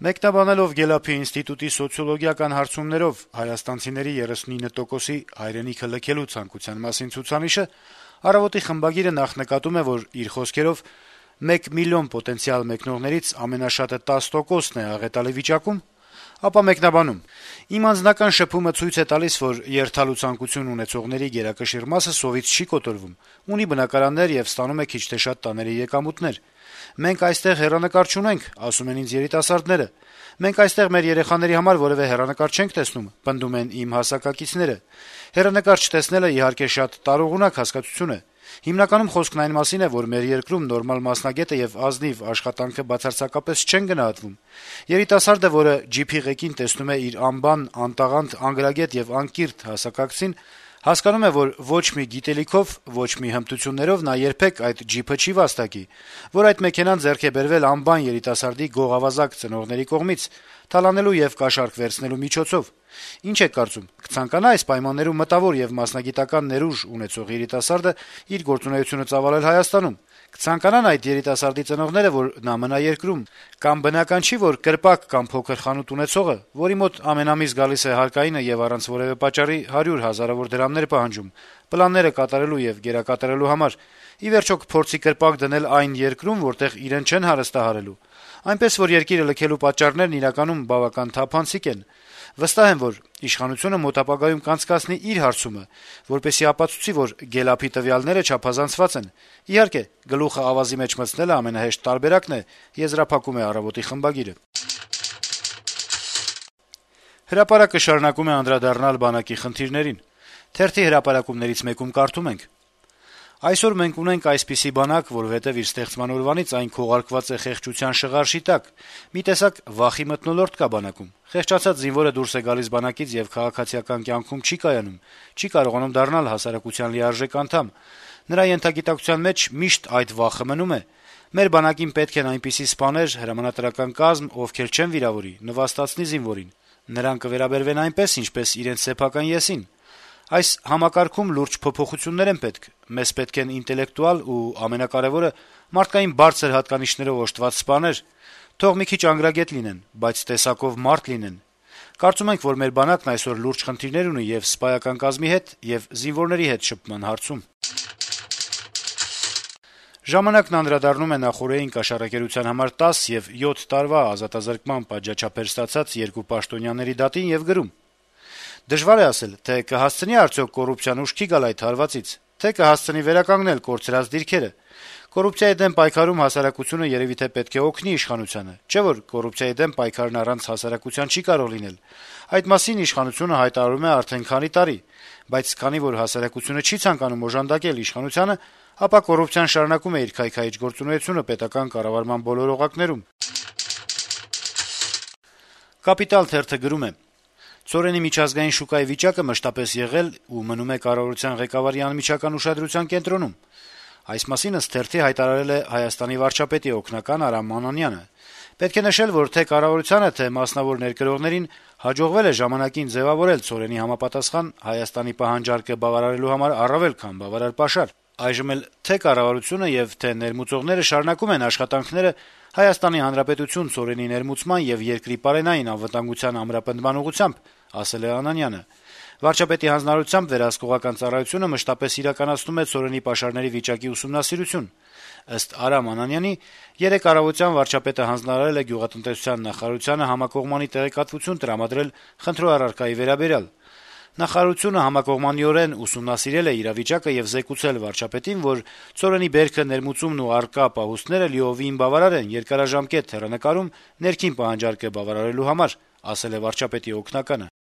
Մեկնաբանելով Գելափի ինստիտուտի սոցիոլոգիական հարցումներով հայաստանցիների 39%-ի հայրենիքը լքելու ցանկության մասին ցուցանիշը, «Առավոտ»-ի խմբագիրը նախ նկատում է, որ իր խոսքերով 1 միլիոն պոտենցիալ մեկնողներից ամենաշատը 10%-ն է աղետալի վիճակում, ապա մեկնաբանում. - «Իմ անձնական շփումը ցույց է տալիս, որ երթալու ցանկություն ունեցողների գերակշիռ մասը սովից չի կոտորվում, ունի բնակարաններ եւ ստանում է քիչ թե շատ տաների եկամուտներ։ Մենք այստեղ հեռանկար չունենք, ասում են ինձ երիտասարդները։ Մենք այստեղ մեր երեխաների համար որեւէ հեռանկար չենք տեսնում, պնդում են իմ հասակակիցները։ Հեռանկար չտեսնելը, իհարկե, շատ տարողունակ հասկացություն է։ Հիմնականում խոսքն այն մասին է, որ մեր երկրում նորմալ մասնագետը եւ ազնիվ աշխատանքը բացարձակապես չեն գնահատվում։ Երիտասարդը, որը ջիփի ղեկին տեսնում է իր անբան, անտաղանդ, անգրագետ եւ անկիրթ հասակակցին, հասկանում է, որ ոչ մի գիտելիքով, ոչ մի հմտություններով նա երբեք այդ ջիփը չի վաստակի, որ այդ մեքենան ձեռք է բերվել անբան երիտասարդի գողավազակ ծնողների կողմից, թալանելու եւ կաշառք վերցնելու միջոցով։ Ինչ եք կարծում, կցանկանա այս պայմաններում մտավոր եւ մասնագիտական ներուժ ունեցող երիտասարդը իր գործունեությունը ծավալել Հայաստանում։ Կցանկանան այդ երիտասարդի ծնողները, որ նա մնա երկրում, կամ բնական չի, որ կրպակ կամ փոքր խանութ ունեցողը, որի մոտ ամեն ամիս գալիս է հարկայինը եւ առանց որեւէ պատճառի 100 հազարավոր դրամներ պահանջում, պլանները կատարելու եւ գերակատարելու համար, ի վերջո կփորձի կրպակ դնել այն երկրում, որտեղ իրեն չեն հարստահարելու։ Այնպես որ երկիրը լքելու պատճառներն իրականում բավական թափանցիկ են։ Վստահ եմ, որ իշխանությունը մոտ ապագայում կանցկացնի իր հարցումը, որպեսզի ապացուցի, որ Գելափի տվյալները չափազանցված են։ Իհարկե, գլուխը ավազի մեջ մտցնելը ամենահեշտ տարբերակն է, եզրափակում է «Առավոտ»-ի խմբագիրը։ Հրապարակը շարունակում է անդրադառնալ բանակի խնդիրներին։ Թերթի հրապարակումներից մեկում կարդում ենք. - «Այսօր մենք ունենք այսպիսի բանակ, որովհետեւ իր ստեղծման օրվանից այն քողարկված է խեղճության շղարշի տակ։ Մի տեսակ վախի մթնոլորտ կա բանակում։ Խեղճացած զինվորը դուրս է գալիս բանակից եւ քաղաքացիական կյանքում չի կայանում, չի կարողանում դառնալ հասարակության լիարժեք անդամ։ Նրա ենթագիտակցության մեջ միշտ այդ վախը մնում է։ Մեր բանակին պետք են այնպիսի սպաներ, հրամանատարական կազմ, ովքեր չեն վիրավորի, նվաստացնի զինվորին։ Նրանք կվերաբերվեն այնպես, ինչպես իրենց սեփական եսին։ Այս համակարգում լուրջ փոփոխություններ են պետք։ Մեզ պետք են ինտելեկտուալ ու, ամենակարեւորը, մարդկային բարձր հատկանիշներով օժտված սպաներ։ Թող մի քիչ անգրագետ լինեն, բայց տեսակով մարդ լինեն։ Կարծում ենք, որ մեր բանակն այսօր լուրջ խնդիրներ ունի եւ սպայական կազմի հետ, եւ զինվորների հետ շփման հարցում»։ «Ժամանակ»-ն անդրադառնում է նախօրեին կաշառակերության համար 10 եւ 7 տարվա ազատազրկման պատժաչափեր ստացած երկու պաշտոնյաների դատին եւ գրում. - «Դժվար է ասել, թե կհասցնի արդյոք կոռուպցիան ուշքի գալ այդ հարվածից, թե կհասցնի վերականգնել կորցրած դիրքերը։ Կոռուպցիայի դեմ պայքարում հասարակությունը երեւի թե պետք է օգնի իշխանությանը, չէ՞ որ կոռուպցիայի դեմ պայքարն առանց հասարակության չի կարող լինել։ Այդ մասին իշխանությունը հայտարարում է արդեն քանի տարի, բայց քանի որ հասարակությունը չի ցանկանում օժանդակել իշխանությանը, ապա կոռուպցիան շարունակում է իր քայքայիչ գործունեությունը պետական կառավարման բոլոր օղակներում»։ «Կապիտալ» թերթը գրում է. - «Ցորենի միջազգային շուկայի վիճակը մշտապես եղել ու մնում է կառավարության ղեկավարի անմիջական ուշադրության կենտրոնում։ Այս մասին ըստ թերթի հայտարարել է Հայաստանի վարչապետի օգնական Արամ Մանանյանը։ Պետք է նշել, որ թե կառավարությանը, թե մասնավոր ներկրողներին հաջողվել է ժամանակին ձեւավորել ցորենի համապատասխան Հայաստանի պահանջարկը բավարարելու համար առավել քան բավարար պաշար։ Այժմ էլ թե կառավարությունը եւ թե ներմուծողները շարունակում են աշխատանքները Հայաստանի Հանրապետություն ցորենի ներմուծման եւ երկրի պարենային անվտանգության ամրապնդման ուղղությամբ», ասել է Անանյանը։ Վարչապետի հանձնարարությամբ վերահսկողական ծառայությունը մշտապես իրականացնում է ցորենի պաշարների վիճակի ուսումնասիրություն։ Ըստ Արամ Անանյանի, երեկ առավոտյան վարչապետը հանձնարարել է գյուղատնտեսության նախարարությանը համակողմանի տեղեկատվություն տրամադրել խնդրոառարկայի վերաբերյալ։ Նախարարությունը համակողմանիորեն ուսումնասիրել է իրավիճակը եւ զեկուցել վարչապետին, որ ցորենի բերքը, ներմուծումն ու առկա պահուստները լիովին բավարար են երկարաժամկետ հեռանկարում ներքին պահանջարկը բավարարելու համար, ասել է վարչապետի օգնականը։